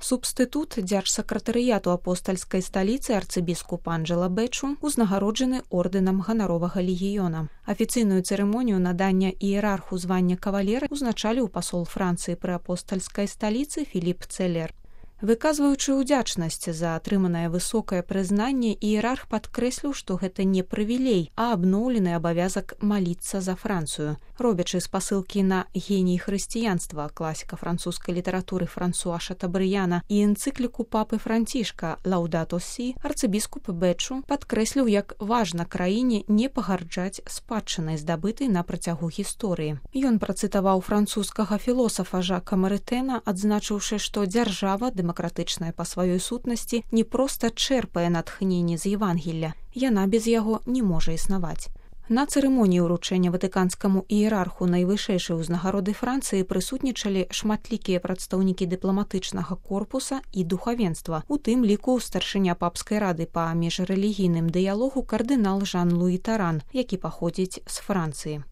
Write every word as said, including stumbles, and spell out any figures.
Субстытут дзяржсакратарыяту апостальскай сталіцы арцыбіскуп Анджела Бэчу узнагароджаны ордэнам ганаровага легіёна. Афіцыйную цырымонію надання іерарху звання кавалера узначаліў пасол Францыі пры апостальскай сталіцы Філіп Цэлер. Выказваючы ўдзячнасць за атрыманае высокае прызнанне, іерарх падкрэсліў, што гэта не прывілей, а абноўлены абавязак маліцца за Францыю. Робячы спасылкі на геній хрысціянства класіка французскай літаратуры Франсуа Шатабрыяна і энцыкліку папы Францішка «Лаудато Сі», арцыбіскуп Бэчу падкрэсліў, як важна краіне не пагарджаць спадчынай, здабытай на працягу гісторыі. Ён працытаваў французскага філосафа Жака Марытэна, адзначыўшы, што дзяржава дэмакратычная па сваёй сутнасці не проста чэрпае натхненне з Евангелля, яна без яго не можа існаваць. На цырымоніі ўручэння ватыканскаму іерарху найвышэйшай узнагароды Францыі прысутнічалі шматлікія прадстаўнікі дыпламатычнага корпуса і духавенства, у тым ліку старшыня папскай рады па міжрэлігійным дыялогу кардынал Жан-Луі Таран, які паходзіць з Францыі.